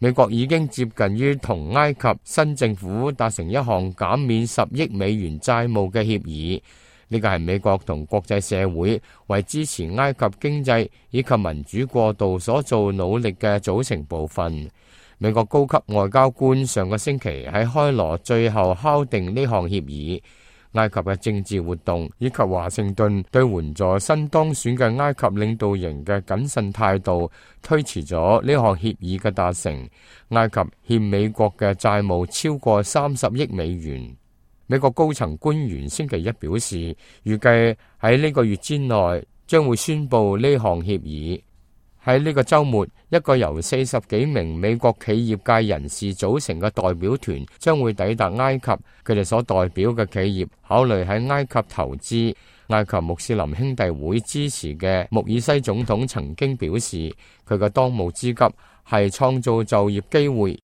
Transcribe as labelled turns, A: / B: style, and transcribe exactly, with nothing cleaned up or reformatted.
A: 美國已經接近於同埃及新政府達成一項減免十億美元債務嘅協議，呢個係美國同國際社會為支持埃及經濟以及民主過渡所做努力嘅組成部分。美國高級外交官上個星期喺開羅最後敲定呢項協議。埃及嘅政治活動以及華盛頓對援助新當選嘅埃及領導人嘅謹慎態度，推遲咗呢項協議嘅達成。埃及欠美國嘅債務超過三十億美元。美國高層官員星期一表示，預計喺呢個月之內將會宣布呢項協議。喺呢個週末，一個由四十幾名美國企業界人士組成嘅代表團將會抵達埃及。佢哋所代表嘅企業考慮喺埃及投資。埃及穆斯林兄弟會支持嘅穆爾西總統曾經表示，佢嘅當務之急係創造就業機會，